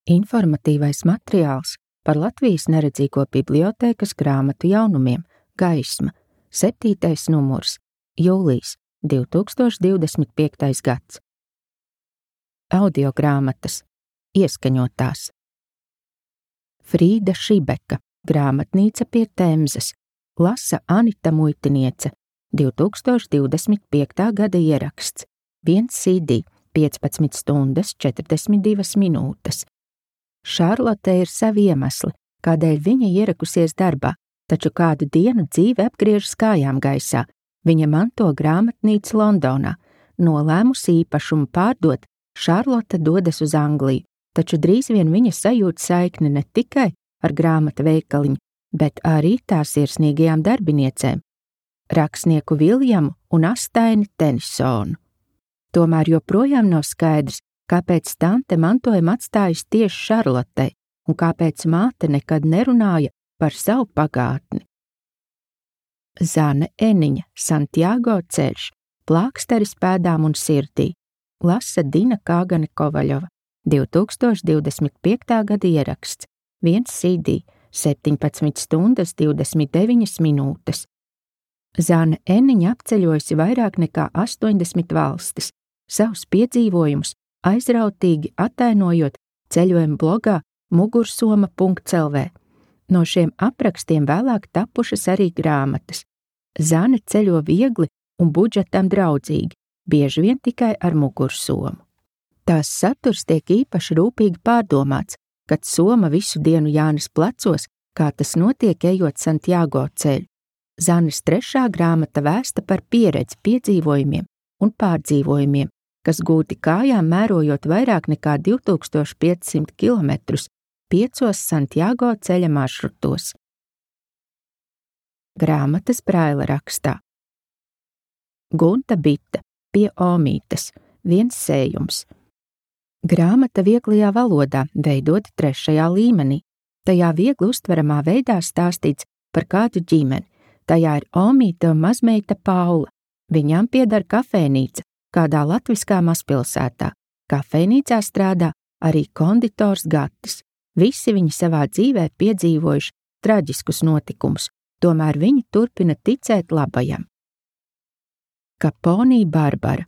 Informatīvais materiāls par Latvijas neredzīgo bibliotēkas grāmatu jaunumiem Gaisma, 7. numurs, jūlijs, 2025. gads. Audiogrāmatas, ieskaņotās. Frīda Šibeka, Grāmatnīca pie Temzes, lasa Anita Muitiniece, 2025. gada ieraksts, 1 CD, 15 stundas, 42 minūtes. Šarlote ir savi iemesli, kādēļ viņa ierakusies darbā, taču kādu dienu dzīve apgriežas kājām gaisā. Viņa manto grāmatnīcu Londonā. Nolēmusi īpašumu pārdot, Šarlote dodas uz Angliju, taču drīz vien viņa sajūt saikni ne tikai ar grāmatu veikaliņu, bet arī tās sirsnīgajām darbiniecēm – rakstnieku Viljamu un Astaini Tenisonu. Tomēr joprojām nav skaidrs, kāpēc tante mantojumu atstājusi tieši Šarlotei un kāpēc māte nekad nerunāja par savu pagātni. Zane Eniņa, Santiago ceļš, plāksteris pēdām un sirdī, lasa Dina Kāgane Kovaļova, 2025. gada ieraksts, 1 CD, 17 stundas, 29 minūtes. Zane Eniņa apceļojusi vairāk nekā 80 valstis, savus piedzīvojumus aizrautīgi attainojot ceļojuma blogā mugursoma.lv. No šiem aprakstiem vēlāk tapušas arī grāmatas. Zane ceļo viegli un budžetam draudzīgi, bieži vien tikai ar mugursomu. Tās saturs tiek īpaši rūpīgi pārdomāts, kad soma visu dienu jānes plecos, kā tas notiek ejot Santiago ceļu. Zanes 3. grāmata vēsta par pieredzi, piedzīvojumiem un pārdzīvojumiem, kas gūti kājām mērojot vairāk nekā 2500 kilometrus 5 Santiago ceļa maršrutos. Grāmatas Braila rakstā. Gunta Bita, pie Omītes, 1 sējums. Grāmata vieglajā valodā, veidota 3. līmenī. Tajā viegli uztveramā veidā stāstīts par kādu ģimeni. Tajā ir Omīte un mazmeita Paula. Viņām pieder kafejnīca kādā latviskā mazpilsētā. Kafejnīcā strādā arī konditors Gatis. Visi viņi savā dzīvē piedzīvojuši traģiskus notikumus, tomēr viņi turpina ticēt labajam. Kaponī Barbara.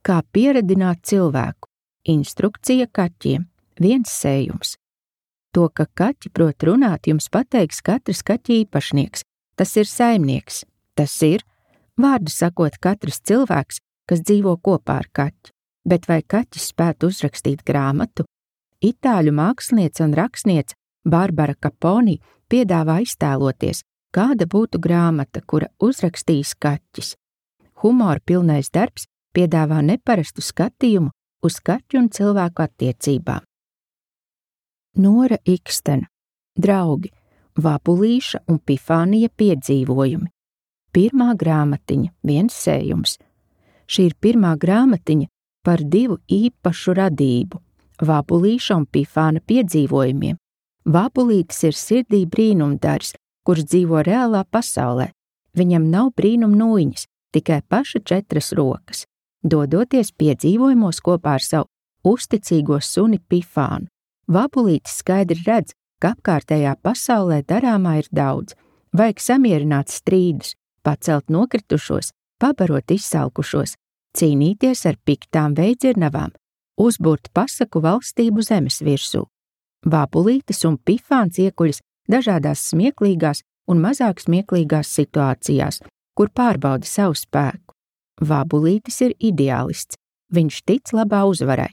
Kā pieredināt cilvēku. Instrukcija kaķiem. 1 sējums. To, ka kaķi prot runāt, jums pateiks katrs kaķa īpašnieks. Tas ir saimnieks. Tas ir, vārdu sakot, katrs cilvēks, kas dzīvo kopā ar kaķi. Bet vai kaķis spētu uzrakstīt grāmatu? Itāļu māksliniece un rakstniece Barbara Kaponī piedāvā iztēloties, kāda būtu grāmata, kura uzrakstīs kaķis. Humora pilnais darbs piedāvā neparastu skatījumu uz kaķu un cilvēku attiecībām. Nora Ikstena. Draugi. Vabulīša un Pifānija piedzīvojumi. 1. grāmatiņa, 1 sējums. Šī ir 1. grāmatiņa par 2 īpašu radību – Vabulīša un Pifāna piedzīvojumiem. Vabulītis ir sirdī brīnumdars, kurš dzīvo reālā pasaulē. Viņam nav brīnum nūjiņas, tikai paša 4 rokas. Dodoties piedzīvojumos kopā ar savu uzticīgo suni Pifānu, Vabulītis skaidri redz, ka apkārtējā pasaulē darāmā ir daudz. Vajag samierināt strīdus, pacelt nokritušos, pabarot izsalkušos, cīnīties ar piktām veidzirnavām, uzburt pasaku valstību zemes virsū. Vabulītis un Pifāns iekuļas dažādās smieklīgās un mazāk smieklīgās situācijās, kur pārbauda savu spēku. Vabulītis ir ideālists, viņš tic labā uzvarai.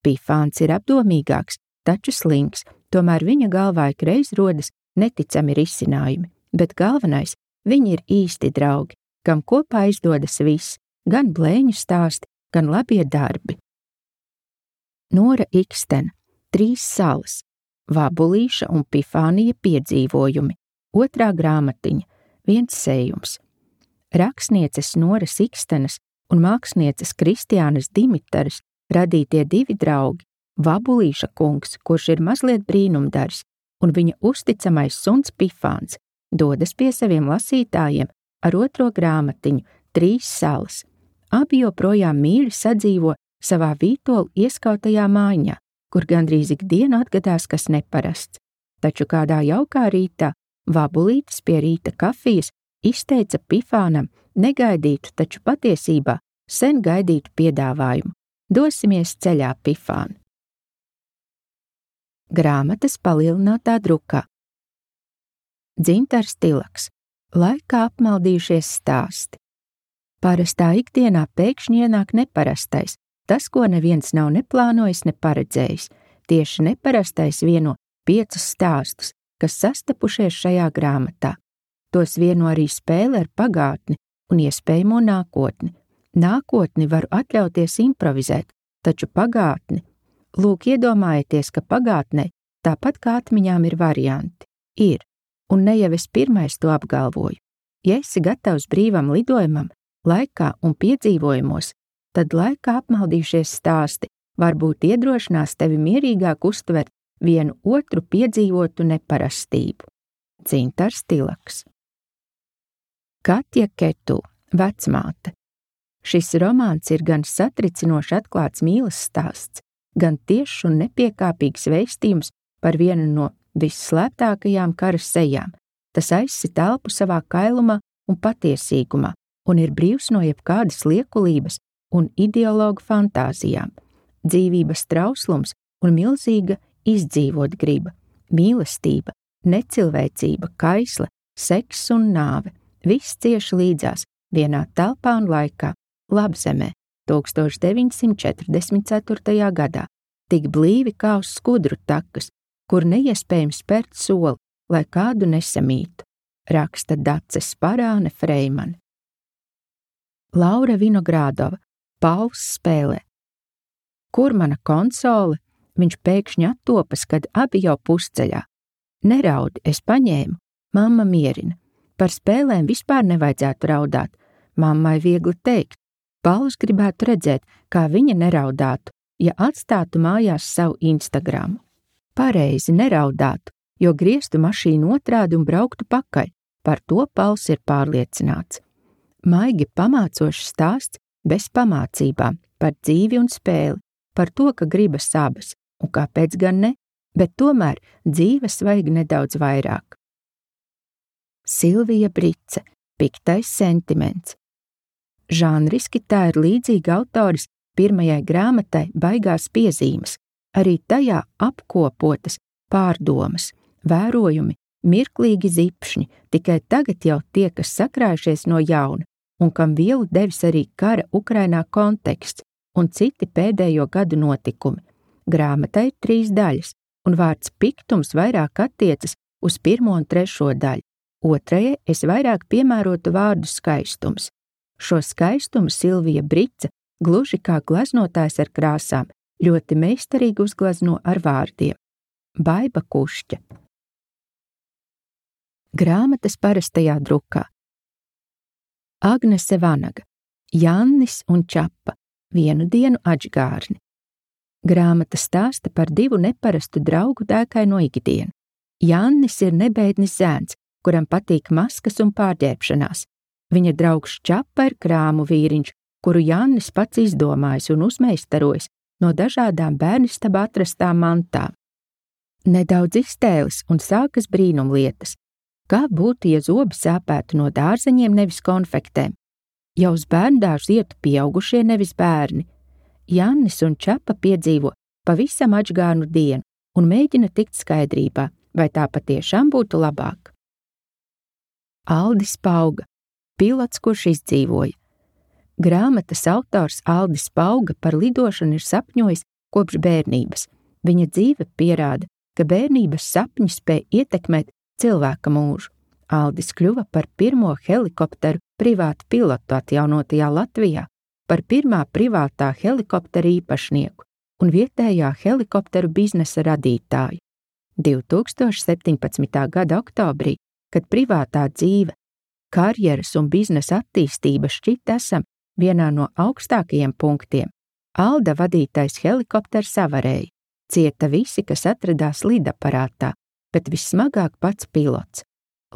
Pifāns ir apdomīgāks, taču slings, tomēr viņa galvā ikreiz rodas neticami risinājumi, bet galvenais, viņi ir īsti draugi, kam kopā izdodas viss, gan blēņu stāsti, gan labie darbi. Nora Ikstena. 3 salas. Vabulīša un Pifānija piedzīvojumi. 2. grāmatiņa. 1 sējums. Rakstnieces Noras Ikstenas un mākslinieces Kristiānas Dimitaras radītie 2 draugi. Vabulīša kungs, kurš ir mazliet brīnumdars, un viņa uzticamais suns Pifāns, dodas pie saviem lasītājiem ar 2. grāmatiņu 3 salas. Abi joprojām mīļi sadzīvo savā vītolu ieskautajā mājiņā, kur gandrīz ikdienu atgadās kas neparasts, taču kādā jaukā rītā Vabulītis pie rīta kafijas izteica Pifānam negaidītu, taču patiesībā sen gaidītu piedāvājumu. Dosimies ceļā, Pifān! Grāmatas palielinātā drukā. Dzintars Tilaks. Laikā apmaldījušies stāsti. Parastā ikdienā pēkšņi ienāk neparastais, tas, ko neviens nav neplānojis, ne paredzējis. Tieši neparastais vieno 5 stāstus, kas sastapušies šajā grāmatā. Tos vieno arī spēle ar pagātni un iespējamo nākotni. Nākotni varu atļauties improvizēt, taču pagātni. Lūk, iedomājieties, ka pagātnē, tāpat kā atmiņām, ir varianti. Ir, un ne jau es pirmais to apgalvoju. Ja esi gatavs brīvam lidojumam, laikā un piedzīvojumos, tad laikā apmaldījušies stāsti varbūt iedrošinās tevi mierīgāk uztvert vienu otru piedzīvotu neparastību. Dzintars Tilaks. Katja Ketu, vecmāte. Šis romāns ir gan satricinoši atklāts mīlas stāsts, gan tiešs un nepiekāpīgs vēstījums par vienu no visslēptākajām kara sejām. Tas aizsit elpu savā kailumā un patiesīgumā, un ir brīvs no jebkādas liekulības un ideologu fantāzijām. Dzīvības trauslums un milzīga izdzīvot griba, mīlestība, necilvēcība, kaisla, seks un nāve. Viss cieši līdzās vienā telpā un laikā, Labzemē, 1944. gadā, tik blīvi kā uz skudru takas, kur neiespējams spērt soli, lai kādu nesamītu, raksta Dace Sparāne Freimane. Laura Vinogrādova, Pauls spēlē. Kur mana konsole? Viņš pēkšņi attopas, kad abi jau pusceļā. Neraudi, es paņēmu, mamma mierina. Par spēlēm vispār nevajadzētu raudāt. Mammai viegli teikt. Pauls gribētu redzēt, kā viņa neraudātu, ja atstātu mājās savu Instagramu. Pareizi neraudātu, jo grieztu mašīnu otrādi un brauktu pakaļ. Par to Pauls ir pārliecināts. Maigi pamācošs stāsts bez pamācībām par dzīvi un spēli, par to, ka gribas abas, un kāpēc gan ne, bet tomēr dzīves vajag nedaudz vairāk. Silvija Brice, Piktais sentiments. Žanriski tā ir līdzīga autoris pirmajai grāmatai Baigās piezīmes, arī tajā apkopotas pārdomas, vērojumi, mirklīgi zipšņi, tikai tagad jau tie, kas sakrājušies no jauna, un kam vielu devis arī kara Ukrainā konteksts un citi pēdējo gadu notikumi. Grāmatai ir 3 daļas, un vārds piktums vairāk attiecas uz 1. un 3. daļu. Otrajai es vairāk piemērotu vārdu skaistums. Šo skaistumu Silvija Brice, gluži kā glaznotājs ar krāsām, ļoti meistarīgi uzglazno ar vārdiem. Baiba Kušķa. Grāmatas parastajā drukā. Agnese Vanaga, Jannis un Čapa, vienu dienu Ačgārni. Grāmata stāsta par 2 neparastu draugu dēkaino ikdienu. Jannis ir nebeidnis zēns, kuram patīk maskas un pārģērbšanās. Viņa draugs Čapa ir krāmu vīriņš, kuru Jannis pats izdomājis un uzmeistarojis no dažādām bērnistabā atrastām mantām. Nedaudz iztēles un sākas brīnumlietas. Kā būtu, ja zobi sāpētu no dārzeņiem, nevis konfektēm? Ja uz bērndārzu ietu pieaugušie, nevis bērni. Jannis un Čapa piedzīvo pavisam Ačgārnu dienu un mēģina tikt skaidrībā, vai tā patiešām būtu labāk. Aldis Pauga, pilots, kurš izdzīvoja. Grāmatas autors Aldis Pauga par lidošanu ir sapņojis kopš bērnības. Viņa dzīve pierāda, ka bērnības sapņi spēj ietekmēt cilvēka mūžu. Aldis kļuva par pirmo helikopteru privātu pilotu atjaunotajā Latvijā, par pirmā privātā helikoptera īpašnieku un vietējā helikopteru biznesa radītāju. 2017. gada oktobrī, kad privātā dzīve, karjeras un biznesa attīstība šķiet esam vienā no augstākajiem punktiem, Alda vadītais helikopters avarēja. Cieta visi, kas atradās lidaparātā, bet vissmagāk pats pilots.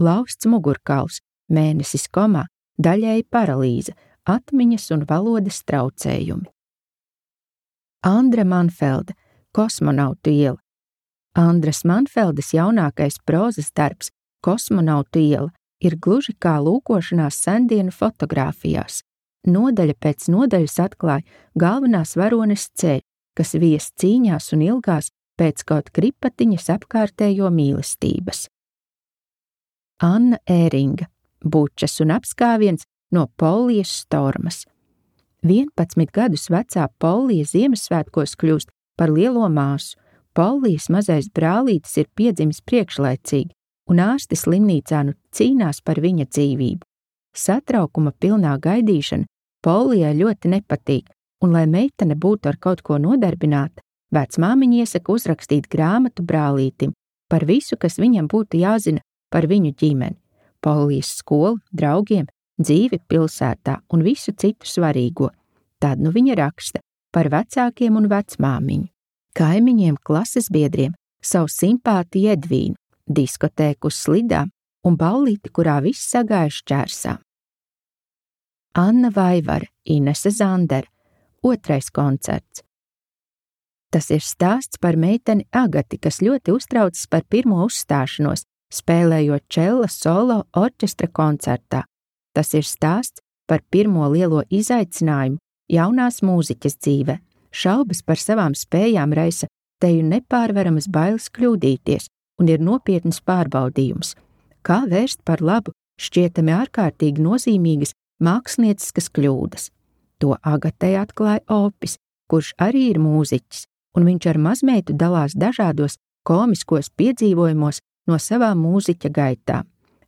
Lausts mugurkauls, mēnesis komā, daļēji paralīze, atmiņas un valodas traucējumi. Andra Manfelda, Kosmonautu iela. Andras Manfeldes jaunākais prozas darbs Kosmonautu iela ir gluži kā lūkošanās sendienu fotogrāfijās. Nodaļa pēc nodaļas atklāja galvenās varones ceļu, kas vies cīņās un ilgās pēc kaut kripatiņas apkārtējo mīlestības. Anna Ēringa, bučas un apskāviens no Polijas Stormas. 11 gadus vecā Polija Ziemassvētkos kļūst par lielo māsu. Polijas mazais brālītis ir piedzimis priekšlaicīgi, un ārsti slimnīcā nu cīnās par viņa dzīvību. Satraukuma pilnā gaidīšana Polijai ļoti nepatīk, un, lai meitene būtu ar kaut ko nodarbināta, vecmāmiņa iesaka uzrakstīt grāmatu brālītim par visu, kas viņam būtu jāzina par viņu ģimeni, Polijas skolu, draugiem, dzīvi pilsētā un visu citu svarīgo. Tad nu viņa raksta par vecākiem un vecmāmiņu, kaimiņiem, klases biedriem, savu simpātiju Edvīnu, diskotēku uz slidām un ballīti, kurā viss sagāja šķērsām. Anna Vaivara, Inese Zandere, 2. koncerts. Tas ir stāsts par meiteni Agati, kas ļoti uztraucas par pirmo uzstāšanos, spēlējot čella solo orķestra koncertā. Tas ir stāsts par pirmo lielo izaicinājumu jaunās mūziķes dzīvē. Šaubas par savām spējām raisa teju nepārvaramas bailes kļūdīties un ir nopietns pārbaudījums. Kā vērst par labu šķietami ārkārtīgi nozīmīgas mākslinieciskas kļūdas. To Agatei atklāja Opis, kurš arī ir mūziķis, un viņš ar mazmeitu dalās dažādos komiskos piedzīvojumos no savām mūziķa gaitām.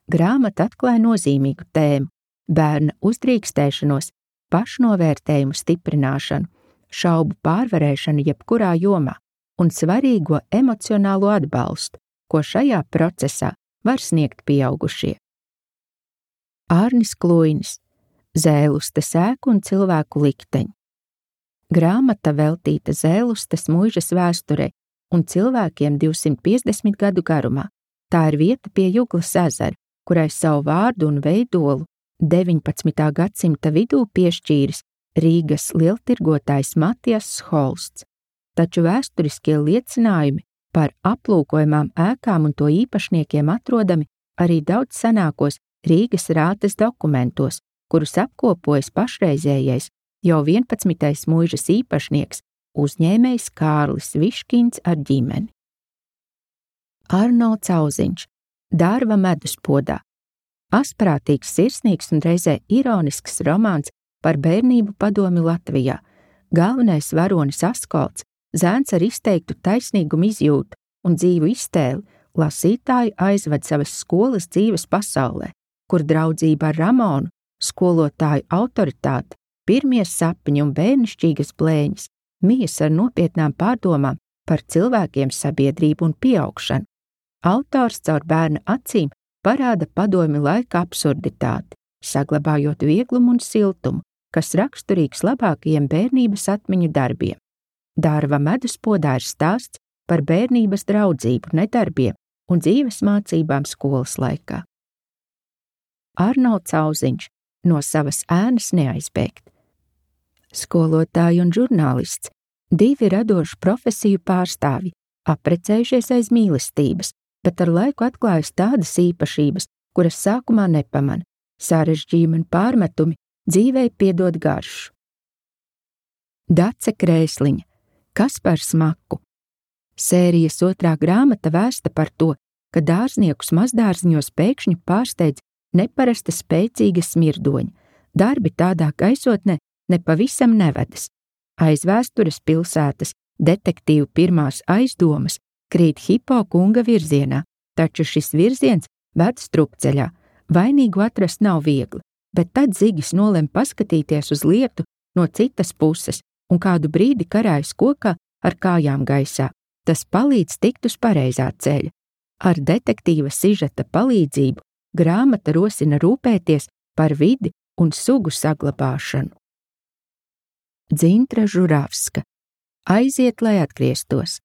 Grāmata atklāja nozīmīgu tēmu – bērna uzdrīkstēšanos, pašnovērtējumu stiprināšanu, šaubu pārvarēšanu jebkurā jomā un svarīgo emocionālo atbalstu, ko šajā procesā var sniegt pieaugušie. Ārnis Kluinis, Zēlustes ēku un cilvēku likteņi. Grāmata veltīta Zēlustes muižas vēsturei un cilvēkiem 250 gadu garumā. Tā ir vieta pie Juglas ezera, kurai savu vārdu un veidolu 19. gadsimta vidū piešķīris Rīgas lieltirgotājs Matijas Holsts. Taču vēsturiskie liecinājumi par aplūkojamām ēkām un to īpašniekiem atrodami arī daudz senākos Rīgas rātes dokumentos, kurus apkopojas pašreizējais jau 11. muižas īpašnieks, uzņēmējs Kārlis Viškins ar ģimeni. Arnolds Auziņš, Dārva meduspodā. Asprātīgs, sirsnīgs un reizē ironisks romāns par bērnību padomi Latvijā. Galvenais varonis Askolds, zēns ar izteiktu taisnīgumu izjūtu un dzīvu iztēli, lasītāju aizved savas skolas dzīves pasaulē, kur draudzība ar Ramonu, skolotāju autoritāte, pirmie sapņi un bērnišķīgas blēņas mijas ar nopietnām pārdomām par cilvēkiem, sabiedrību un pieaugšanu. Autors caur bērna acīm parāda padomi laika absurditāti, saglabājot vieglumu un siltumu, kas raksturīgs labākajiem bērnības atmiņu darbiem. Dārva meduspodā ir stāsts par bērnības draudzību, nedarbiem un dzīves mācībām skolas laikā. Arnolds Auziņš, no savas ēnas neaizbēgt. Skolotāji un žurnālists, 2 radošu profesiju pārstāvji, apprecējušies aiz mīlestības, bet ar laiku atklājas tādas īpašības, kuras sākumā nepamana, sarežģījumi un pārmetumi dzīvei piedod garšu. Dace Krēsliņa, Kaspars Maku. Sērijas 2. grāmata vēsta par to, ka dārzniekus mazdārziņos pēkšņi pārsteidz neparasta spēcīga smirdoņa. Darbi tādā gaisotnē nepavisam nevedas. Aiz vēstures pilsētas detektīvu pirmās aizdomas krīt Hipo kunga virzienā, taču šis virziens ved strupceļā. Vainīgu atrast nav viegli, bet tad Zigis nolem paskatīties uz lietu no citas puses un kādu brīdi karājas kokā ar kājām gaisā. Tas palīdz tikt uz pareizā ceļa. Ar detektīva sižeta palīdzību grāmata rosina rūpēties par vidi un sugu saglabāšanu. Dzintra Žuravska, Aiziet, lai atgrieztos.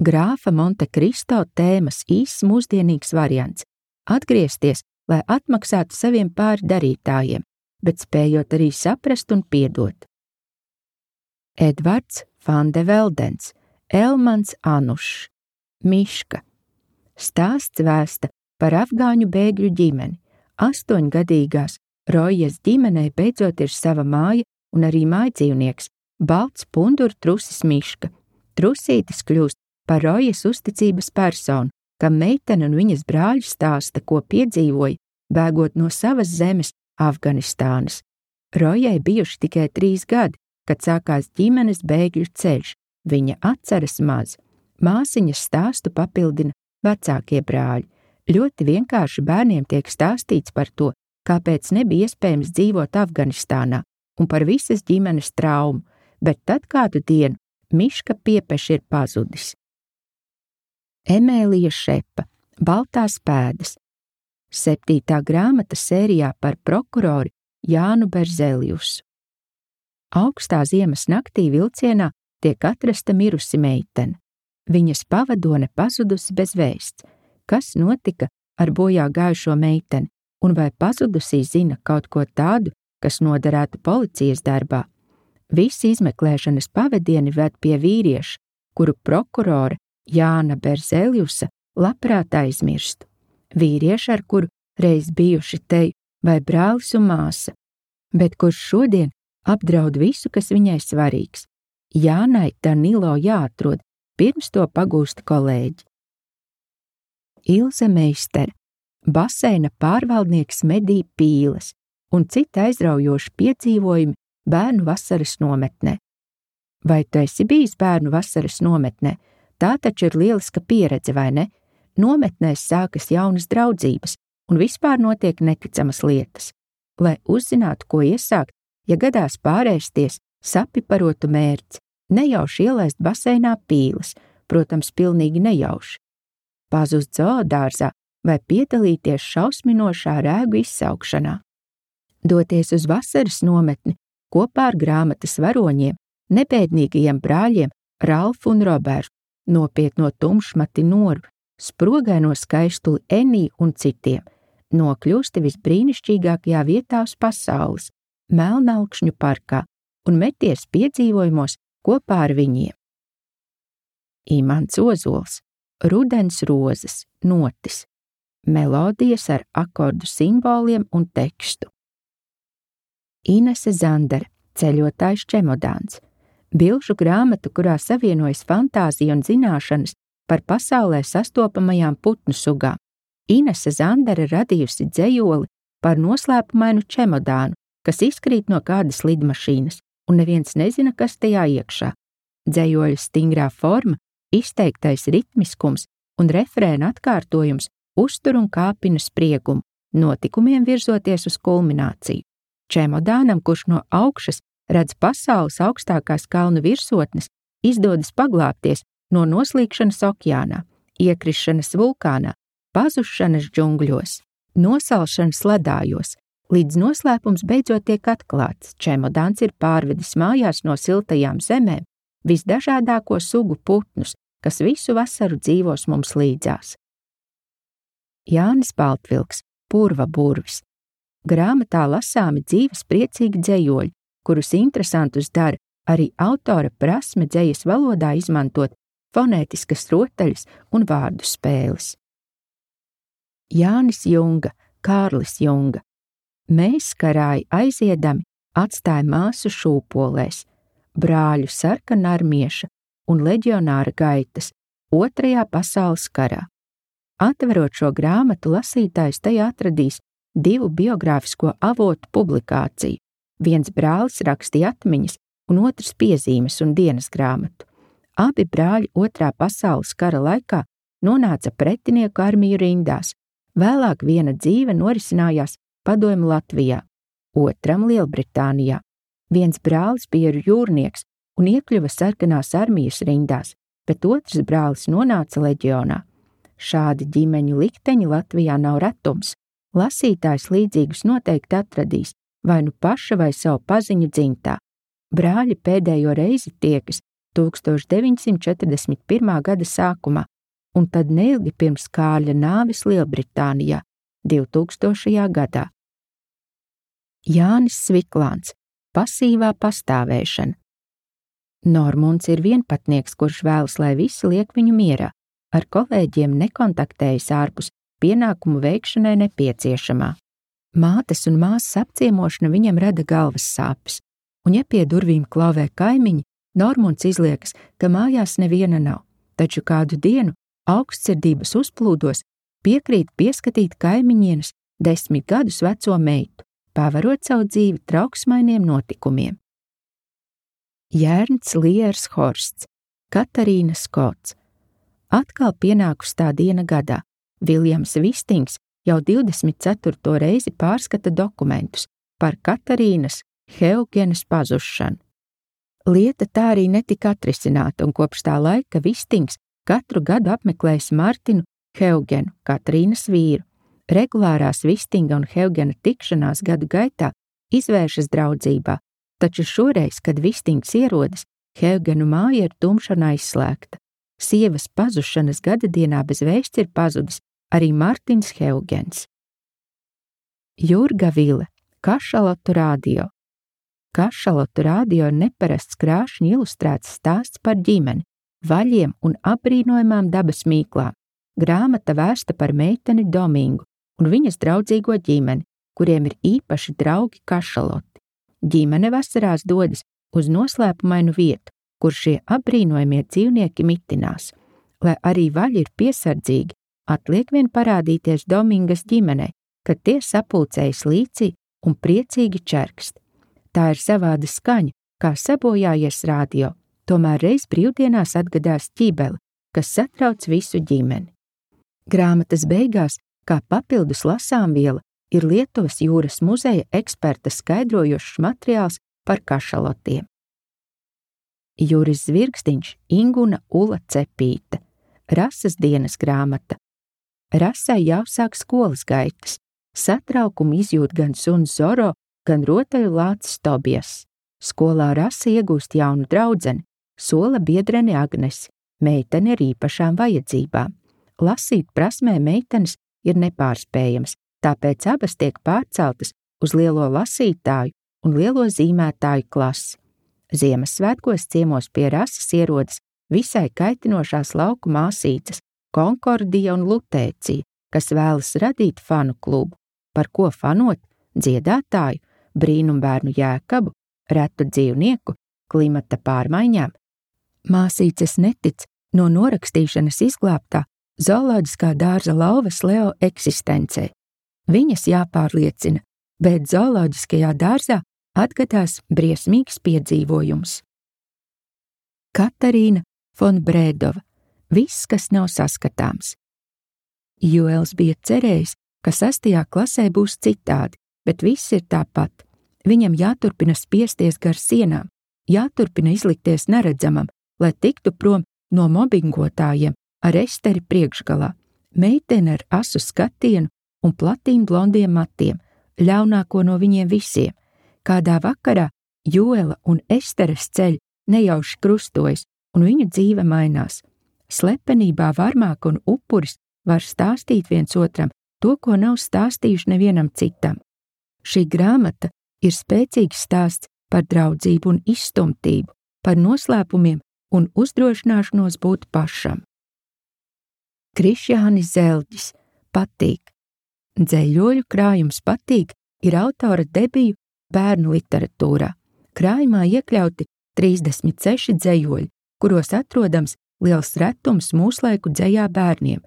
Grāfa Monte Kristo tēmas īss mūsdienīgs variants – atgriezties, lai atmaksātu saviem pārdarītājiem, bet spējot arī saprast un piedot. Edvards van de Veldens, Elmans Anušs, Miška. Stāsts vēsta par afgāņu bēgļu ģimeni. 8-gadīgās Rojas ģimenei beidzot ir sava māja un arī mājdzīvnieks, balts punduru trusis Miška. Trusītis kļūst par Rojas uzticības personu, kam meitene un viņas brāļi stāsta, ko piedzīvoja, bēgot no savas zemes, Afganistānas. Rojai bijuši tikai 3 gadi, kad sākās ģimenes bēgļu ceļš. Viņa atceras maz. Māsiņas stāstu papildina vecākie brāļi. Ļoti vienkārši bērniem tiek stāstīts par to, kāpēc nebija iespējams dzīvot Afganistānā un par visas ģimenes traumu, bet tad kādu dienu Miška piepeši ir pazudis. Emēlija Šepa, Baltās pēdas. 7. grāmata sērijā par prokuroru Jānu Berzeliusu. Augstā ziemas naktī vilcienā tiek atrasta mirusi meitene. Viņas pavadone pazudusi bez vēsts. Kas notika ar bojā gājušo meiteni, un vai pazudusī zina kaut ko tādu, kas noderētu policijas darbā? Visi izmeklēšanas pavadieni ved pie vīrieša, kuru prokurore Jāna Berzeliusa labprāt aizmirstu. Vīrieši, ar kuru reiz bijuši teju vai brālis un māsa, bet kurš šodien apdraud visu, kas viņai svarīgs. Jānai Danilo jāatrod, pirms to pagūst kolēģi. Ilze Meistere, baseina pārvaldnieks medī pīles un citi aizraujoši piedzīvojumi bērnu vasaras nometnē. Vai tu esi bijis bērnu vasaras nometnē? Tā taču ir lieliska pieredze, vai ne? Nometnēs sākas jaunas draudzības un vispār notiek neticamas lietas. Lai uzzinātu, ko iesākt, ja gadās pārēsties sapiparotu mērci, nejauši ielaist baseinā pīles, protams, pilnīgi nejauši. Pazust zoodārzā vai piedalīties šausminošā rēgu izsaukšanā. Doties uz vasaras nometni kopā ar grāmatas varoņiem, nebēdīgajiem brāļiem Ralfu un Robertu, nopietno tumšmati Noru, sprogaino skaistuli Eniju un citiem, nokļūsti visbrīnišķīgākajā vietā uz pasaules, Melnalkšņu parkā, un meties piedzīvojumos kopā ar viņiem. Imants Ozols, Rudens rozes, notis, melodijas ar akordu simboliem un tekstu. Inese Zandere, Ceļotājs čemodāns, bilžu grāmatu, kurā savienojas fantāzija un zināšanas par pasaulē sastopamajām putnu sugām. Inese Zandere radījusi dzejoli par noslēpumainu čemodānu, kas izkrīt no kādas lidmašīnas, un neviens nezina, kas tajā iekšā. Dzejoļa stingrā forma, izteiktais ritmiskums un refrēna atkārtojums uztur un kāpina spriegumu, notikumiem virzoties uz kulmināciju. Čemodānam, kurš no augšas redz pasaules augstākās kalnu virsotnes, izdodas paglābties no noslīkšanas okeānā, iekrišanas vulkānā, pazušanas džungļos, nosalšanas ledājos, līdz noslēpums beidzot tiek atklāts. Čemodāns ir pārvedis mājās no siltajām zemēm visdažādāko sugu putnus, kas visu vasaru dzīvos mums līdzās. Jānis Baltvilks, Purva burvis. Grāmatā lasāmi dzīves priecīgi dzejoļi, kurus interesantus dara arī autora prasme dzejas valodā izmantot fonētiskas rotaļas un vārdu spēles. Jānis Junga, Kārlis Junga. Mēs, karāji aiziedami, atstāja māsu šūpolēs, brāļu sarkanarmieša un leģionāra gaitas 2. pasaules karā. Atverot šo grāmatu, lasītājs tajā atradīs 2 biogrāfisko avotu publikāciju. Viens brālis rakstīja atmiņas un otrs piezīmes un dienas grāmatu. Abi brāļi 2. pasaules kara laikā nonāca pretinieku armiju rindās. Vēlāk viena dzīve norisinājās Padomju Latvijā, otram Lielbritānijā. Viens brālis bija jūrnieks un iekļuva sarkanās armijas rindās, bet otrs brālis nonāca leģionā. Šādi ģimeņu likteņi Latvijā nav retums. Lasītājs līdzīgus noteikti atradīs, vai nu paša vai savu paziņu dzimtā. Brāļi pēdējo reizi tiekas 1941. gada sākumā, un tad neilgi pirms Kārļa nāves Lielbritānijā 2000. gadā. Jānis Sviklāns, Pasīvā pastāvēšana. Normunds ir vienpatnieks, kurš vēlas, lai visi liek viņu mierā, ar kolēģiem nekontaktējas ārpus pienākumu veikšanai nepieciešamā. Mātes un māsas apciemošana viņam rada galvas sāpes, un ja pie durvīm klauvē kaimiņi, Normunds izliekas, ka mājās neviena nav, taču kādu dienu augstsirdības uzplūdos piekrīt pieskatīt kaimiņienes 10 gadus veco meitu, pavarot savu dzīvi trauksmainiem notikumiem. Jērns Liers Horsts, Katarīna Skots. Atkal pienākus tā diena gadā. Viljams Vistings jau 24. reizi pārskata dokumentus par Katarīnas Heugenes pazušanu. Lieta tā arī netika atrisināta, un kopš tā laika Vistings katru gadu apmeklējis Martinu Heugenu, Katarīnas vīru. Regulārās Vistinga un Heugena tikšanās gadu gaitā izvēršas draudzībā, taču šoreiz, kad Vistings ierodas, Heugenu māja ir tumša un aizslēgta. Sievas pazušanas gadadienā bez vēsts ir pazudis arī Martins Heugens. Jurga Vile, Kašalotu radio. Kašalotu radio ir neparasts krāšņi ilustrēts stāsts par ģimeni, vaļiem un apbrīnojamām dabas mīklām. Grāmata vērsta par meiteni Domingu un viņas draudzīgo ģimeni, kuriem ir īpaši draugi kašaloti. Ģimene vasarās dodas uz noslēpumainu vietu, kur šie apbrīnojamie dzīvnieki mitinās. Lai arī vaļi ir piesardzīgi, atliek vien parādīties Domingas ģimenei, kad tie sapulcējas līcī un priecīgi čerkst. Tā ir savāda skaņa, kā sabojājies radio, tomēr reiz brīvdienās atgadās ķībeli, kas satrauc visu ģimeni. Grāmatas beigās, kā papildus lasāmviela, ir Lietuvas jūras muzeja eksperta skaidrojošs materiāls par kašalotiem. Juris Zvirgstiņš, Inguna Ula Cepīte. Rases dienas grāmata. Rasai jāsāk skolas gaitas. Satraukumu izjūt gan suns Zoro, gan rotaļu lācis Tobijas. Skolā Rasa iegūst jaunu draudzeni, sola biedreni Agnesi, meiteni ar īpašām vajadzībām. Lasīt prasmē meitenes ir nepārspējams, tāpēc abas tiek pārceltas uz lielo lasītāju un lielo zīmētāju klasi. Ziemassvētkos ciemos pie Rasas ierodas visai kaitinošās lauku māsīcas Konkordija un Lutēcija, kas vēlas radīt fanu klubu, par ko fanot dziedātāju, brīnumbērnu Jēkabu, retu dzīvnieku, klimata pārmaiņām. Māsīces netic no norakstīšanas izglābtā zooloģiskā dārza lauvas Leo eksistencē. Viņas jāpārliecina, bet zooloģiskajā dārzā atgadās briesmīgs piedzīvojums. Katarīna von Brēdova. Viss, kas nav saskatāms. Joels bija cerējis, ka 6. klasē būs citādi, bet viss ir tāpat. Viņam jāturpina spiesties gar sienām, jāturpina izlikties neredzamam, lai tiktu prom no mobbingotājiem ar Esteri priekšgalā. Meitene ar asu skatienu un platīm blondiem matiem, ļaunāko no viņiem visiem. Kādā vakarā Joela un Esteres ceļi nejauši krustojas, un viņu dzīve mainās. Slepenībā varmāka un upuris var stāstīt viens otram to, ko nav stāstījuši nevienam citam. Šī grāmata ir spēcīgs stāsts par draudzību un izstumtību, par noslēpumiem un uzdrošināšanos būt pašam. Krišjānis Zelģis. Patīk. Dzeļoļu krājums Patīk ir autora debiju bērnu literatūrā. Krājumā iekļauti 36 dzejoļi, kuros atrodams liels retums mūslaiku dzejā bērniem.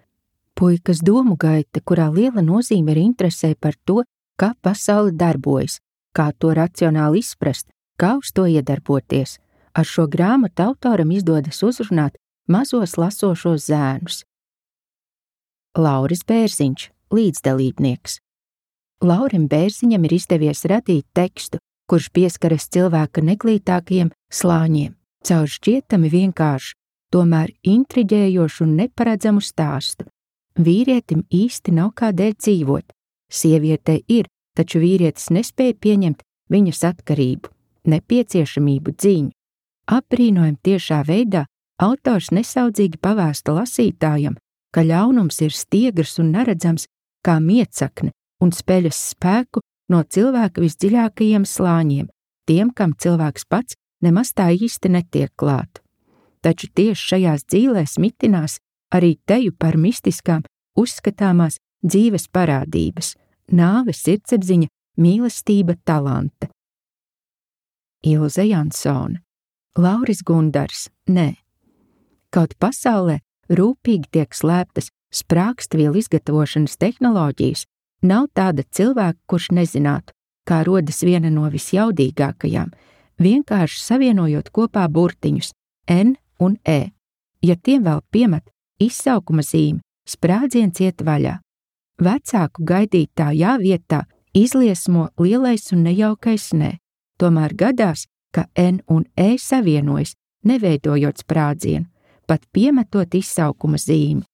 Puikas domu gaita, kurā liela nozīme ir interesē par to, kā pasaule darbojas, kā to racionāli izprast, kā uz to iedarboties. Ar šo grāmatu autoram izdodas uzrunāt mazos lasošos zēnus. Lauris Bērziņš, līdzdalībnieks. Laurim Bērziņam ir izdevies radīt tekstu, kurš pieskaras cilvēka neglītākajiem slāņiem, caur šķietami vienkāršu, tomēr intriģējošu un neparedzamu stāstu. Vīrietim īsti nav kādēļ dzīvot. Sievietei ir, taču vīrietis nespēja pieņemt viņas atkarību, nepieciešamību dziņu. Apbrīnojam tiešā veidā autors nesaudzīgi pavēsta lasītājam, ka ļaunums ir stiegrs un neredzams kā miecakne un speļas spēku no cilvēka visdziļākajiem slāņiem, tiem, kam cilvēks pats nemaz tā īsti netiek klāt. Taču tieši šajās dzīlēs mitinās arī teju par mistiskām uzskatāmās dzīves parādības – nāve, sirdsapziņa, mīlestība, talanta. Ilze Jansone. Lauris Gundars. Nē. Kaut pasaulē rūpīgi tiek slēptas sprākstvielu izgatavošanas tehnoloģijas, nav tāda cilvēka, kurš nezinātu, kā rodas viena no visjaudīgākajām, vienkārši savienojot kopā burtiņus N un E. Ja tiem vēl piemet izsaukuma zīmi, sprādziens iet vaļā. Vecāku gaidītājā vietā izliesmo lielais un nejaukais nē. Tomēr gadās, ka N un E savienojas, neveidojot sprādzienu, pat piemetot izsaukuma zīmi.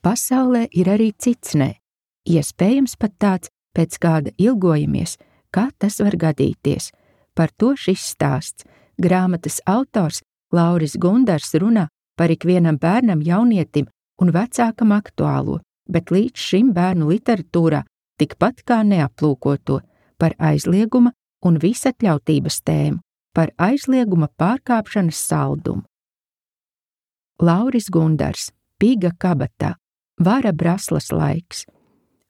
Pasaulē ir arī cits nē, iespējams pat tāds, pēc kāda ilgojamies, kā tas var gadīties. Par to šis stāsts. Grāmatas autors Lauris Gundars runā par ikvienam bērnam, jaunietim un vecākam aktuālo, bet līdz šim bērnu literatūrā tikpat kā neaplūkoto, par aizlieguma un visatļautības tēmu, par aizlieguma pārkāpšanas saldumu. Lauris Gundars. Piga kabatā. Vara Braslas laiks.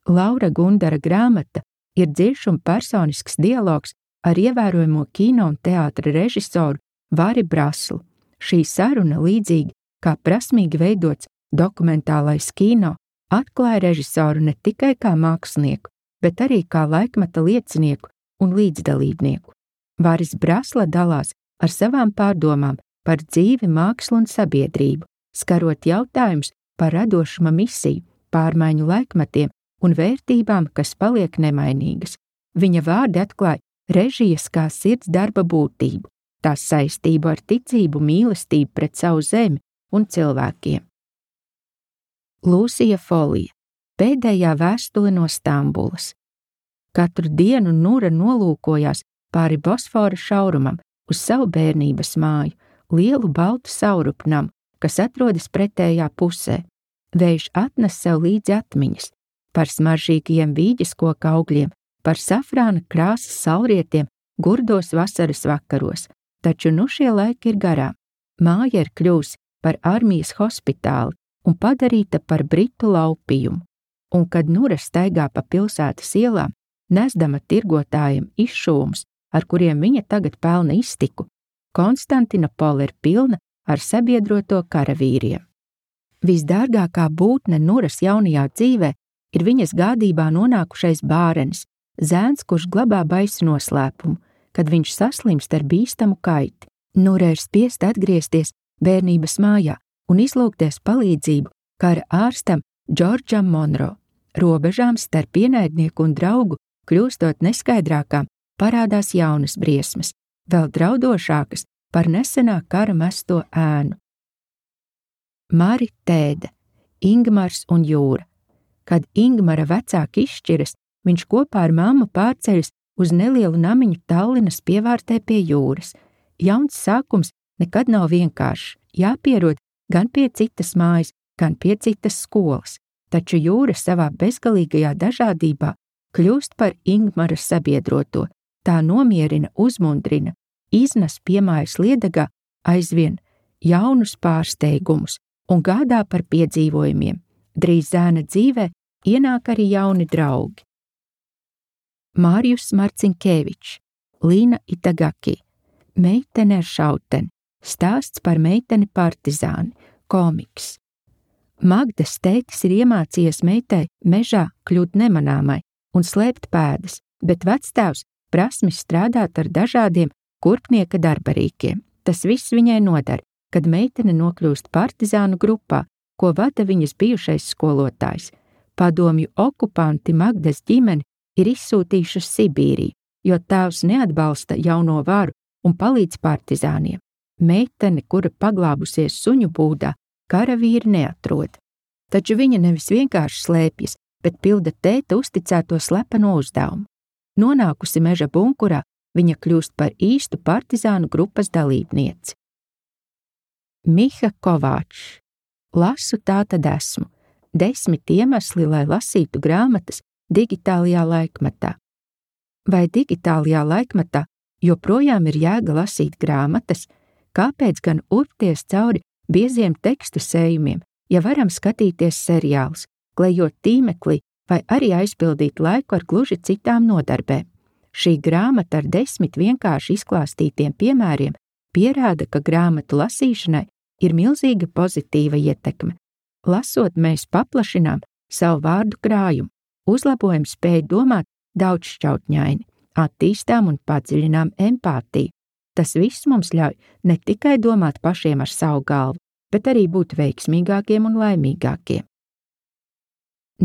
Laura Gundara grāmata ir dziļš un personisks dialogs ar ievērojamo kino un teātra režisoru Vari Braslu. Šī saruna, līdzīgi kā prasmīgi veidots dokumentālais kino, atklāja režisoru ne tikai kā mākslinieku, bet arī kā laikmeta liecinieku un līdzdalībnieku. Varis Brasla dalās ar savām pārdomām par dzīvi, mākslu un sabiedrību, skarot jautājumus par radošuma misiju, pārmaiņu laikmetiem un vērtībām, kas paliek nemainīgas. Viņa vārdi atklāja režijas kā sirds darba būtību, tās saistību ar ticību, mīlestību pret savu zemi un cilvēkiem. Lūsija Folija. Pēdējā vēstule no Stambulas. Katru dienu Nura nolūkojās pāri Bosfora šaurumam uz savu bērnības māju, lielu baltu saurupnam, kas atrodas pretējā pusē. Vējš atnes sev līdzi atmiņas par smaržīgiem vīģes koka augļiem, par safrāna krāsas saulrietiem gurdos vasaras vakaros, taču nu šie laiki ir garām. Māja ir kļūsi par armijas hospitāli un padarīta par britu laupījumu, un kad Nura staigā pa pilsētas ielām, nesdama tirgotājiem izšūmus, ar kuriem viņa tagad pelna iztiku, Konstantinopola ir pilna ar sabiedroto karavīriem. Visdārgākā būtne Nuras jaunajā dzīvē ir viņas gādībā nonākušais bārenis, zēns, kurš glabā baisu noslēpumu, kad viņš saslimst ar bīstamu kaiti. Nura ir spiesta atgriezties bērnības mājā un izlūgties palīdzību kara ārstam Džordžam Monro. Robežām starp ienaidnieku un draugu kļūstot neskaidrākām, parādās jaunas briesmas, vēl draudošākas par nesenā kara mesto ēnu. Mari Tēde. Ingmars un jūra. Kad Ingmara vecāki izšķiras, viņš kopā ar mammu pārceļas uz nelielu namiņu Tallinas pievārtē pie jūras. Jauns sākums nekad nav vienkāršs, jāpierod gan pie citas mājas, gan pie citas skolas, taču jūra savā bezgalīgajā dažādībā kļūst par Ingmara sabiedroto, tā nomierina, uzmundrina, iznes piemājas liedagā aizvien jaunus pārsteigumus un gādā par piedzīvojumiem. Drīz zēna dzīvē ienāk arī jauni draugi. Mārijus Marcinkevičs. Līna Itagaki. Meitene ar šauteni. Stāsts par meiteni partizāni. Komiks. Magdas tētis ir iemācījies meitai mežā kļūt nemanāmai un slēpt pēdas, bet vectēvs prasmi strādāt ar dažādiem kurpnieka darbarīkiem. Tas viss viņai nodara, kad meitene nokļūst partizānu grupā, ko vada viņas bijušais skolotājs. Padomju okupanti Magdas ģimeni ir izsūtījuši uz Sibīriju, jo tēvs neatbalsta jauno varu un palīdz partizāniem. Meitene, kura paglābusies suņu būdā, karavīri neatrod. Taču viņa nevis vienkārši slēpjas, bet pilda tēta uzticēto slepeno uzdevumu. Nonākusi meža bunkurā, viņa kļūst par īstu partizānu grupas dalībnieci. Miha Kovāčs. Lasu tā tad esmu. 10 iemesli, lai lasītu grāmatas digitālajā laikmetā. Vai digitālajā laikmetā joprojām ir jēga lasīt grāmatas, kāpēc gan urpties cauri bieziem tekstu sējumiem, ja varam skatīties seriālus, klejot tīmeklī vai arī aizpildīt laiku ar gluži citām nodarbēm. Šī grāmata ar 10 vienkārši izklāstītiem piemēriem pierāda, ka grāmatu lasīšanai ir milzīga pozitīva ietekme. Lasot, mēs paplašinām savu vārdu krājumu, uzlabojam spēju domāt daudzšķautņaini, attīstām un padziļinām empātiju. Tas viss mums ļauj ne tikai domāt pašiem ar savu galvu, bet arī būt veiksmīgākiem un laimīgākiem.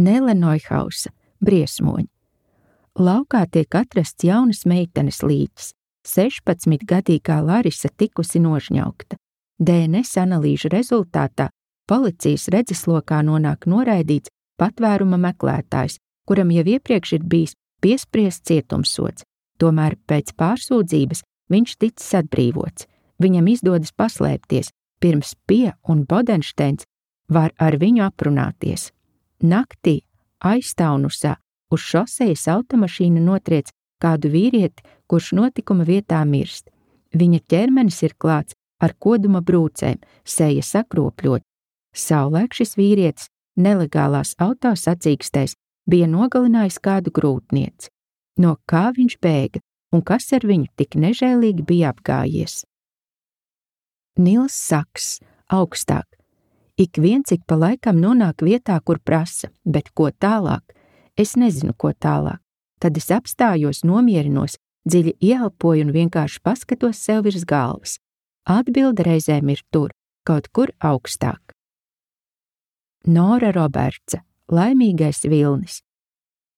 Nele Neuhausa, Briesmoņi. Laukā tiek atrasts jaunas meitenes līķis. 16-gadīgā Larisa tikusi nožņaukta. DNS analīžu rezultātā policijas redzeslokā nonāk noraidīts patvēruma meklētājs, kuram jau iepriekš ir bijis piespriests cietumsods. Tomēr pēc pārsūdzības viņš ticis atbrīvots. Viņam izdodas paslēpties, pirms Pie un Bodensteins var ar viņu aprunāties. Naktī Aiztaunusā uz šosejas automašīna notriec kādu vīrieti, kurš notikuma vietā mirst. Viņa ķermenis ir klāts ar koduma brūcēm, seja sakropļot. Savulaik šis vīrietis nelegālās autosacīkstēs bija nogalinājis kādu grūtnieci. No kā viņš bēga un kas ar viņu tik nežēlīgi bija apgājies? Nils Saks, Augstāk. Ik viens ik pa laikam nonāk vietā, kur prasa, bet ko tālāk? Es nezinu, ko tālāk. Tad es apstājos, nomierinos, dziļi ieelpoju un vienkārši paskatos sev virs galvas. Atbilde reizēm ir tur, kaut kur augstāk. Nora Robertsa, Laimīgais vilnis.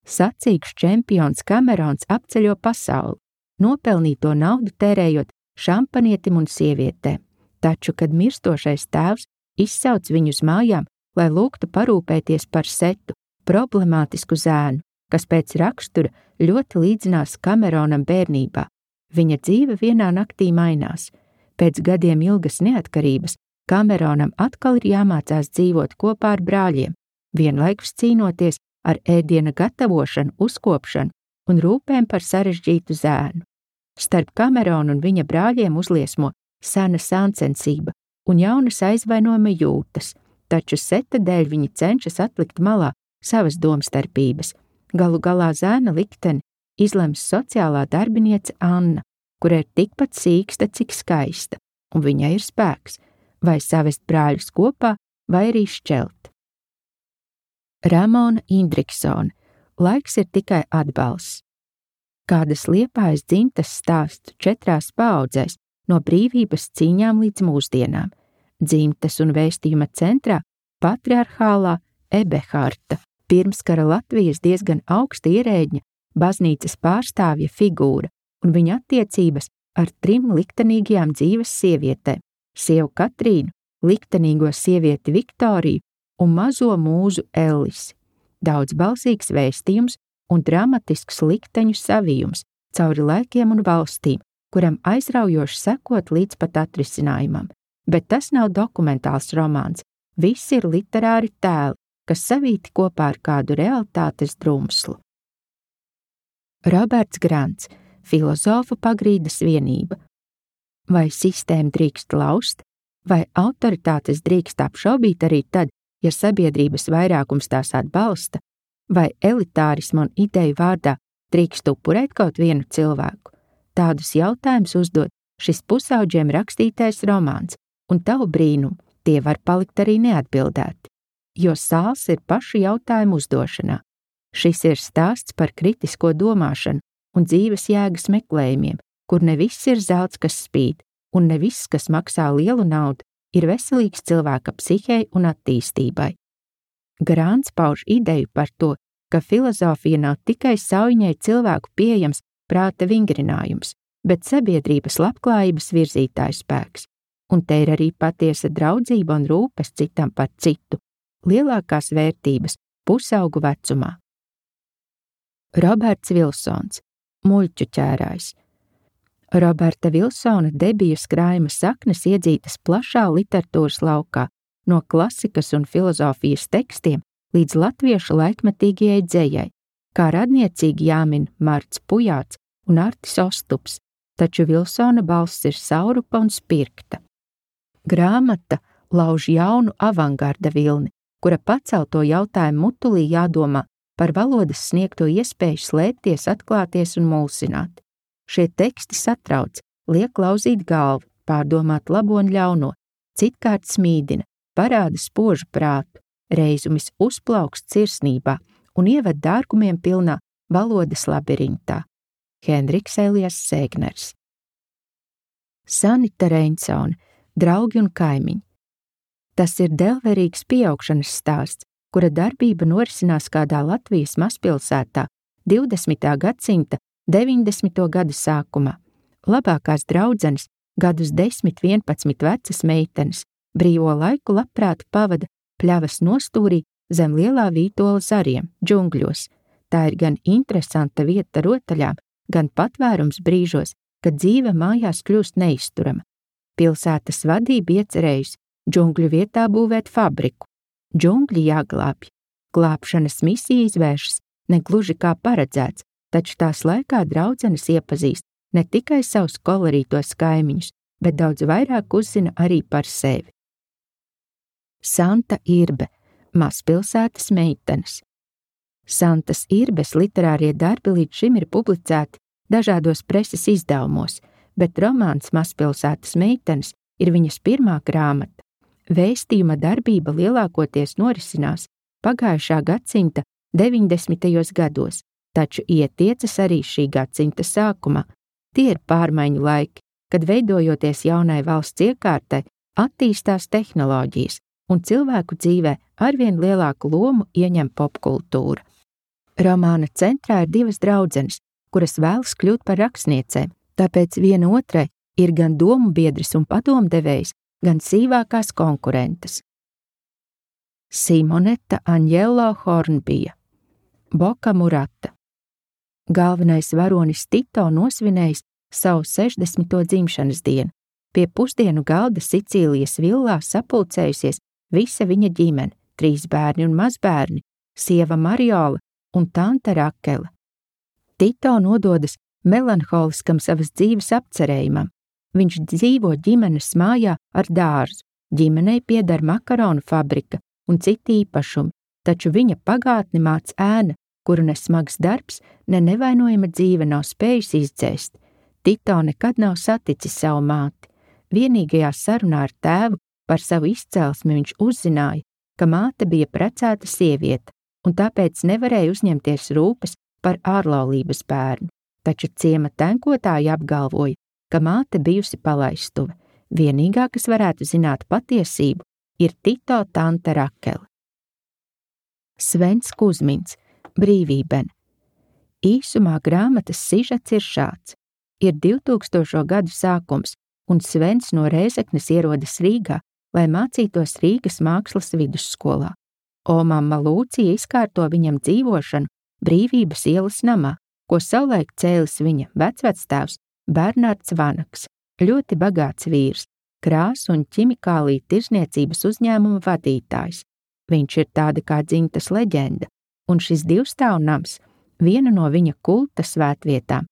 Sacīkšu čempions Kamerons apceļo pasauli, nopelnīto naudu tērējot šampanietim un sievietēm. Taču, kad mirstošais tēvs izsauc viņu uz mājām, lai lūgtu parūpēties par Setu, problemātisku zēnu, kas pēc rakstura ļoti līdzinās Kameronam bērnībā. Viņa dzīve vienā naktī mainās. Pēc gadiem ilgas neatkarības Kameronam atkal ir jāmācās dzīvot kopā ar brāļiem, vienlaikus cīnoties ar ēdiena gatavošanu, uzkopšanu un rūpēm par sarežģītu zēnu. Starp Kameronu un viņa brāļiem uzliesmo sena sāncensība un jaunas aizvainojuma jūtas, taču Seta dēļ viņi cenšas atlikt malā savas domstarpības. Galu galā zēna likteni izlems sociālā darbiniece Anna, kura ir tikpat sīksta, cik skaista, un viņai ir spēks, vai savest brāļus kopā, vai arī šķelt. Ramona Indriksone, Laiks ir tikai atbalsts. Kādas Liepājas dzimtas stāstu 4 paaudzēs, no brīvības cīņām līdz mūsdienām. Dzimtas un vēstījuma centrā patriarchālā Ebeharta, pirmskara Latvijas diezgan augsta ierēģņa, baznīcas pārstāvja figūra un viņa attiecības ar 3 liktenīgajām dzīves sievietēm – sievu Katrīnu, liktenīgo sievieti Viktoriju un mazo mūzu Ellisi. Daudzbalsīgs vēstījums un dramatisks likteņu savijums cauri laikiem un valstīm, kuram aizraujoši sekot līdz pat atrisinājumam. Bet tas nav dokumentāls romāns, viss ir literāri tēli, kas savīti kopā ar kādu realitātes drumslu. Roberts Grants, Filozofu pagrīdes vienība. Vai sistēmu drīkst laust, vai autoritātes drīkst apšaubīt arī tad, ja sabiedrības vairākums tās atbalsta, vai elitārismu un ideju vārdā drīkst upurēt kaut vienu cilvēku? Tādus jautājumus uzdod šis pusaudžiem rakstītais romāns, un tavu brīnumu tie var palikt arī neatbildēti, jo sāls ir pašu jautājumu uzdošanā. Šis ir stāsts par kritisko domāšanu un dzīves jēgas meklējumiem, kur ne viss ir zelts, kas spīd, un ne viss, kas maksā lielu naudu, ir veselīgs cilvēka psihei un attīstībai. Grants pauž ideju par to, ka filozofija nav tikai saujiņai cilvēku pieejams prāta vingrinājums, bet sabiedrības labklājības virzītāju spēks, un te ir arī patiesa draudzība un rūpes citam par citu, lielākās vērtības pusaugu vecumā. Roberts Vilsons, Muļķu ķērājs. Roberta Vilsona debiju skrājuma saknes iedzītas plašā literatūras laukā, no klasikas un filozofijas tekstiem līdz latviešu laikmetīgajai dzejai, kā radniecīgi jāmin Marts Pujāts un Artis Ostups, taču Vilsona balss ir saurupa un spirkta. Grāmata lauž jaunu avangarda vilni, kura pacelto jautājumu mutulī jādomā par valodas sniegto iespēju slēpties, atklāties un mulsināt. Šie teksti satrauc, liek lauzīt galvu, pārdomāt labo un ļauno, citkārt smīdina, parāda spožu prātu, reizumis uzplaukst sirsnībā un ieved dārgumiem pilnā valodas labirintā. Henriks Elijas Sēgners. Sanita Reinsone, draugi un kaimiņi. Tas ir delverīgs pieaugšanas stāsts, kura darbība norisinās kādā Latvijas mazpilsētā 20. gadsimta 90. gadu sākumā. Labākās draudzenes, gadus 10–11 vecas meitenes, brīvo laiku labprāt pavada pļavas nostūrī zem lielā vītola zariem, džungļos. Tā ir gan interesanta vieta rotaļām, gan patvērums brīžos, kad dzīve mājās kļūst neizturama. Pilsētas vadība iecerējusi džungļu vietā būvēt fabriku. Džungļi jāglābj. Glābšanas misija izvēršas negluži kā paredzēts, taču tās laikā draudzenes iepazīst ne tikai savus kolorītos kaimiņus, bet daudz vairāk uzzina arī par sevi. Santa Irbe, mazpilsētas meitenes. Santas Irbes literārie darbi līdz šim ir publicēti dažādos preses izdevumos, bet romāns Mazpilsētas meitenes ir viņas pirmā grāmata. Vēstījuma darbība lielākoties norisinās pagājušā gadsimta 90. gados, taču ietiecas arī šī gadsimta sākumā. Tie ir pārmaiņu laiki, kad veidojoties jaunai valsts iekārtai, attīstās tehnoloģijas un cilvēku dzīvē arvien lielāku lomu ieņem popkultūra. Romāna centrā ir divas draudzenes, kuras vēlas kļūt par rakstniecēm, tāpēc viena otrai ir gan domu biedris un padomdevējs, gan sīvākās konkurentes. Simoneta Aņģelo Hornbija, Boka Murata. Galvenais varonis Tito nosvinējis savu 60. dzimšanas dienu. Pie pusdienu galda Sicīlijas villā sapulcējusies visa viņa ģimene, 3 bērni un mazbērni, sieva Mariola un tante Rakele. Tito nododas melanholiskam savas dzīves apcerējumam. Viņš dzīvo ģimenes mājā ar dārzu. Ģimenei pieder makaronu fabrika un citi īpašumi, taču viņa pagātni māc ēna, kuru ne smags darbs, ne nevainojama dzīve nav spējusi izdzēst. Tito nekad nav saticis savu māti. Vienīgajā sarunā ar tēvu par savu izcelsmi viņš uzzināja, ka māte bija precēta sieviete, un tāpēc nevarēja uzņemties rūpes par ārlaulības bērnu, taču ciema tenkotāji apgalvoja, ka māte bijusi palaistuve. Vienīgā, kas varētu zināt patiesību, ir Tito tante Rakele. Svens Kuzmins, Brīvībene. Īsumā grāmatas sižets ir šāds. Ir 2000. gadu sākums, un Svens no Rēzeknes ierodas Rīgā, lai mācītos Rīgas mākslas vidusskolā. Omamma Lūcija izkārto viņam dzīvošanu Brīvības ielas namā, ko savulaik cēlis viņa vecvectēvs Bernards Vanaks, ļoti bagāts vīrs, krāsu un ķimikāliju tirzniecības uzņēmuma vadītājs. Viņš ir tāda kā dzimtas leģenda, un šis divstāvnams viena no viņa kulta svētvietām.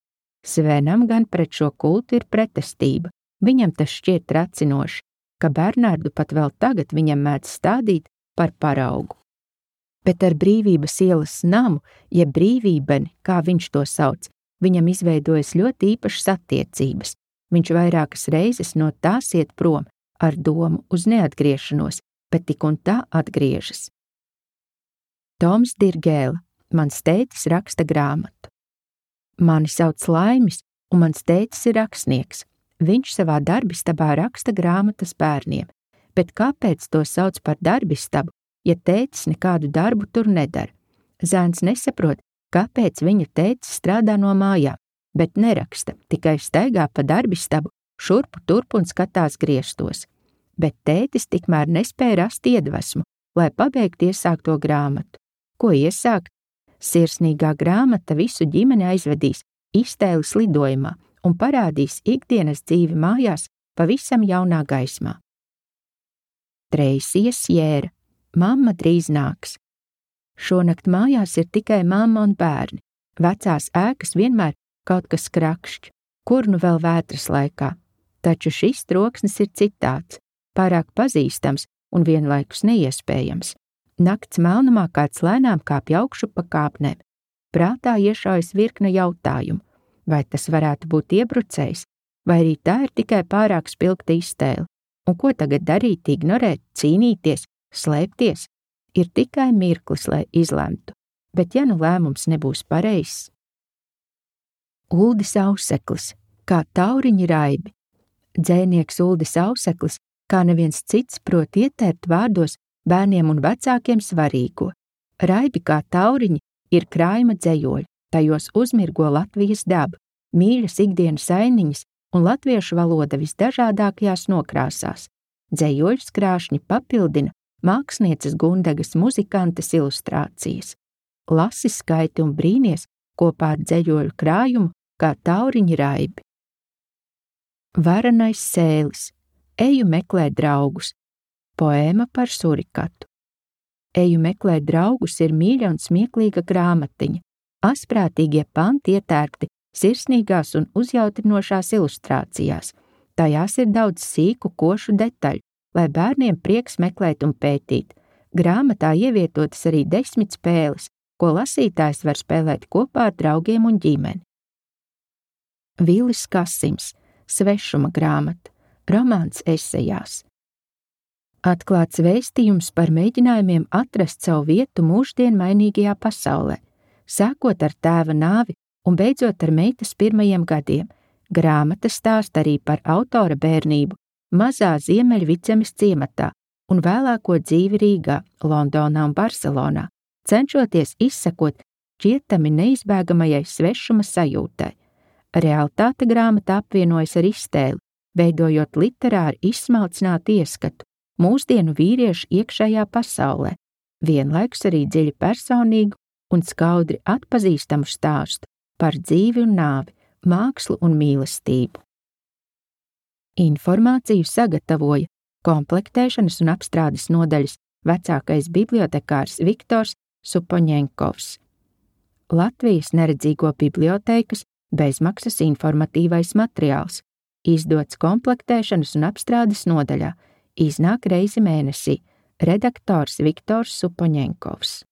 Svenam gan pret šo kultu ir pretestība. Viņam tas šķiet tracinoši, ka Bernardu pat vēl tagad viņam mēdz stādīt par paraugu. Bet ar Brīvības ielas namu, jeb Brīvībeni, kā viņš to sauc, viņam izveidojas ļoti īpašas attiecības. Viņš vairākas reizes no tās iet prom ar domu uz neatgriešanos, bet tik un tā atgriežas. Toms Dirgēla, mans tētis raksta grāmatu. Mani sauc Laimis, un mans tētis ir rakstnieks. Viņš savā darbistabā raksta grāmatas bērniem, bet kāpēc to sauc par darbistabu, ja tētis nekādu darbu tur nedara? Zēns nesaprot, kāpēc viņa tētis strādā no mājām, bet neraksta, tikai staigā pa darbistabu, šurpu turpu un skatās griestos. Bet tētis tikmēr nespēja rast iedvesmu, lai pabeigtu iesākto grāmatu. Ko iesākt? Sirsnīgā grāmata visu ģimeni aizvedīs iztēles lidojumā un parādīs ikdienas dzīvi mājās pavisam jaunā gaismā. Treisija Sjēra, mamma drīz nāks. Šonakt mājās ir tikai mamma un bērni. Vecās ēkas vienmēr kaut kas krakšķ. Kur nu vēl vētras laikā? Taču šis troksnis ir citāds, pārāk pazīstams un vienlaikus neiespējams. Nakts melnumā kāds lēnām kāpj augšu pa kāpnēm. Prātā iešaujas virkne jautājumu. Vai tas varētu būt iebrucējs, vai arī tā ir tikai pārāk spilgta iztēle? Un ko tagad darīt, ignorēt, cīnīties, slēpties? Ir tikai mirklis, lai izlemtu, bet ja nu lēmums nebūs pareizs? Uldis Auseklis, kā tauriņi raibi. Dzejnieks Uldis Auseklis, kā neviens cits, prot ietērt vārdos bērniem un vecākiem svarīgo. Raibi kā tauriņi ir krājuma dzejoļi, tajos uzmirgo Latvijas daba, mīļas ikdienas ainiņas un latviešu valoda visdažādākajās nokrāsās. Dzejoļus krāšņi papildina mākslinieces Gundegas muzikantes ilustrācijas. Lasi, skaiti un brīnies kopā ar dzejoļu krājumu kā tauriņi raibi. Varanais sēlis. Eju meklēt draugus. Poēma par surikatu. Eju meklēt draugus ir mīļa un smieklīga grāmatiņa. Asprātīgie panti ietērpti sirsnīgās un uzjautrinošās ilustrācijās. Tajās ir daudz sīku, košu detaļu, lai bērniem prieks meklēt un pētīt. Grāmatā ievietotas arī 10 spēles, ko lasītājs var spēlēt kopā ar draugiem un ģimeni. Vilis Kasims. Svešuma grāmata. Romāns esejās. Atklāts vēstījums par mēģinājumiem atrast savu vietu mūždien mainīgajā pasaulē, sākot ar tēva nāvi un beidzot ar meitas pirmajiem gadiem. Grāmata stāsta arī par autora bērnību mazā Ziemeļvidzemes ciematā un vēlāko dzīvi Rīgā, Londonā un Barcelonā, cenšoties izsekot šķietami neizbēgamajai svešuma sajūtai. Realitāte grāmata apvienojas ar iztēli, veidojot literāri izsmalcinātu ieskatu mūsdienu vīriešu iekšējā pasaulē, vienlaikus arī dziļi personīgu un skaudri atpazīstamu stāstu par dzīvi un nāvi, mākslu un mīlestību. Informāciju sagatavoja komplektēšanas un apstrādes nodaļas vecākais bibliotekārs Viktors Supoņenkovs. Latvijas neredzīgo bibliotēkas bezmaksas informatīvais materiāls, izdots komplektēšanas un apstrādes nodaļā, iznāk reizi mēnesī, redaktors Viktors Supoņenkovs.